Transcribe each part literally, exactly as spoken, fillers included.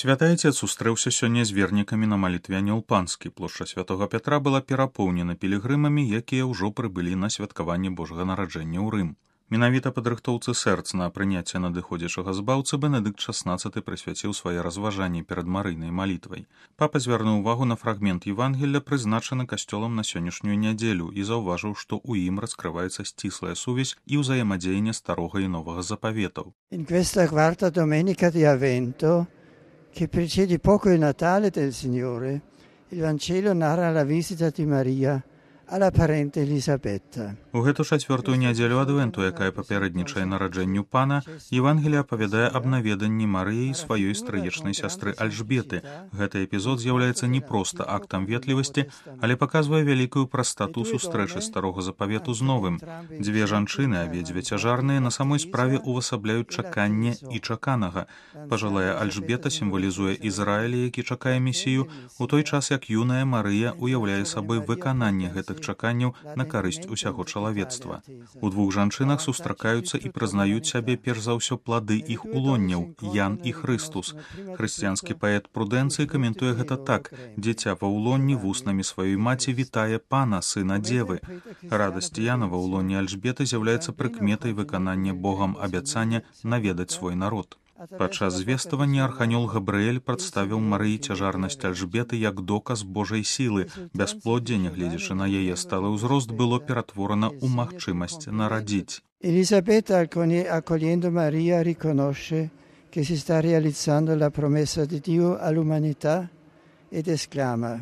Святы Отец сустрэўся сёння з вернікамі на малітве Анёл-Панскі. Плошча Святога Пятра была перапоўнена пілігрымамі, якія ўжо прыбылі на святкаванне Божага нараджэння ў Рым. Менавіта падрыхтоўцы сэрц на прыняцце надыходзячага збаўцы Бенедыкт шаснаццаты прысвяціў свае разважанні перад марыйнай малітвай. Папа звярнуў увагу на фрагмент Евангелля, прызначаны касцёлам на сённяшнюю нядзелю, і заўважыў, што ў ім раскрываецца сціслая сувязь і ўзаемадзеянне старога і новага запаветаў. In questa quarta domenica di Avvento, che precede poco il Natale del Signore, il Vangelo narra la visita di Maria alla parente Elisabetta. У гэту чацвёртую нядзелю адвенту, якая папярэднічае нараджэнню пана, Евангелие апавядае аб наведанні Марыі сваёй стрыечнай сястры Альжбеты. Гэты эпізод з'яўляецца не проста актам ветлівасці, але паказвае вялікую прастату сустрэчы старога запавету з новым. Дзве жанчыны, абедзве цяжарныя, на самой справе увасабляюць чаканне і чаканага. Пажылая Альжбета сімвалізуе Ізраіль, які чакае месію, у той час як юная Марыя уяўляе сабой выкананне гэтых чаканняў на карысць усяго чалавецтва. У двух жанчынах сустракаюцца і прызнаюць сябе перш за ўсё плады іх улонняў, Ян і Хрыстус. Хрысціянскі паэт Прудэнцый каментуе гэта так: «Дзіця ва ўлонні вуснамі сваёй маці вітае пана, сына дзевы». Радасць Яна ва ўлонні Альжбеты з'яўляецца прыкметай выканання Богам абяцання наведаць свой народ. Падчас звествавання арханёл Габрыэль прадставіў Марыі цяжарнасць Альжбеты як доказ Божай сілы. Бясплоддзе, нягледзячы на яе сталы ўзрост, было ператворана ў магчымасць нарадзіць. Elisabetta, accogliendo Maria, riconosce che si sta realizzando la promessa di Dio all'umanità ed esclama: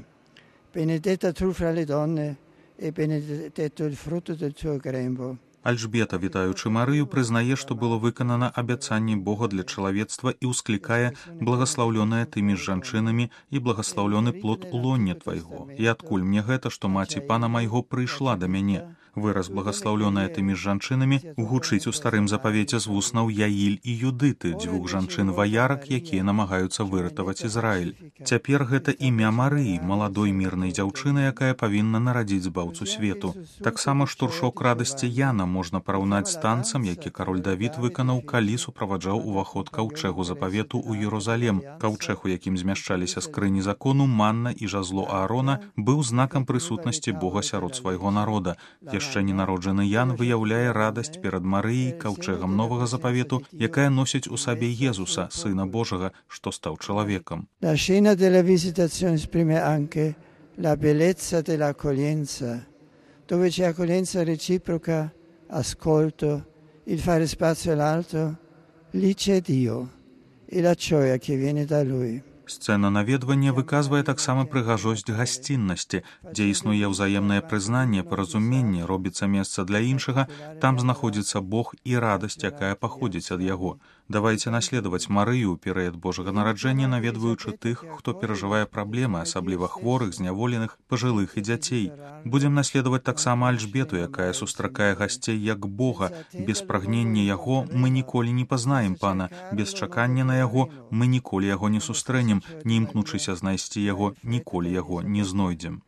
«Benedetta tu fra le donne e benedetto il frutto del tuo grembo». Альжбета, вітаючы Марыю, прызнае, што было выканана абяцанне Бога для чалавецтва і ўсклікае: «Благаслаўлёная тымі з жанчынамі і благаслаўлёны плод улоння твайго. І адкуль мне гэта, што маці пана майго прыйшла да мяне?» Выраз «благаслаўлёная тымі з жанчынамі» гучыць у старым запавеце з вуснаў Яіль і Юдыты, дзвюх жанчын-ваярак, якія намагаюцца выратаваць Ізраіль. Цяпер гэта імя Марыі, маладой мірнай дзяўчыны, якая павінна нарадзіць збаўцу свету. Таксама штуршок радасці Яна можна параўнаць з танцам, які кароль Давід выканаў, калі суправаджаў уваход каўчэгу запавету ў Єрусалем. Каўчэг, у якім змяшчаліся скрыні закону, манна і жазло Аарона, быў знакам прысутнасці Бога сярод свайго народа. Яшчэ ненароджаны Ян выяўляе радасць перад Марыяй, каўчэгам новага запавету, якая носіць у сабе Езуса, сына Божага, што стаў чалавекам. La scena della visitazione esprime anche la bellezza dell'accoglienza, dove c'è accoglienza reciproca, ascolto, il fare spazio all'altro, lì c'è Dio e la gioia che viene da Lui. Сцэна наведвання выказвае таксама прыгажосць гасціннасці, дзе існуе ўзаемнае прызнанне, паразуменне, робіцца месца для іншага, там знаходзіцца Бог і радасць, якая паходзіць ад яго. Давайце наследаваць Марыю ў перыяд Божага нараджэння, наведваючы тых, хто перажывае праблемы, асабліва хворых, зняволеных, пажылых і дзяцей. Будзем наследаваць таксама Альжбету, якая сустракае гасцей як Бога. Без прагнення яго мы ніколі не пазнаем пана, без чакання на яго мы ніколі яго не сустрэнем, не імкнучыся знайсці яго, ніколі яго не знойдзем.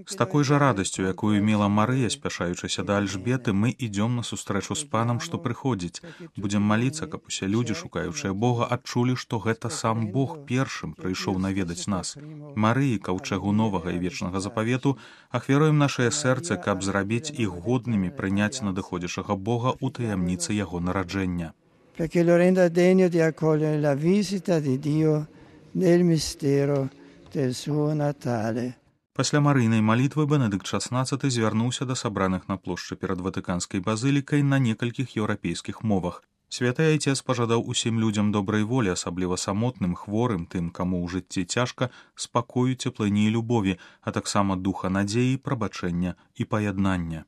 З такой жа радасцю, якую мела Марыя, спяшаючыся да Альжбеты, мы ідём на сустрэчу з панам, што прыходзіць. Будзем маліцца, каб усе людзі, шукаючыя Бога, адчулі, што гэта сам Бог першым прыйшоў наведаць нас. Марыі, каўчэгу новага і вечнага запавету, ахвяруем нашае сэрцы, каб зрабіць іх годнымі прыняць надыходзячага Бога ў таямніцы яго нараджэння. Perché lo renda degno di accogliere la visita di Dio nel mistero del suo Natale. Пасля марыйнай малітвы Бенедыкт шаснаццаты звярнуўся да сабраных на плошчы перад Ватыканскай базылікай на некалькіх еўрапейскіх мовах. Святы Айцец пажадаў усім людзям добрай волі, асабліва самотным, хворым, тым, каму ў жыцці цяжка, спакою, цеплыні і любові, а таксама духа надзеі, прабачэння і паяднання.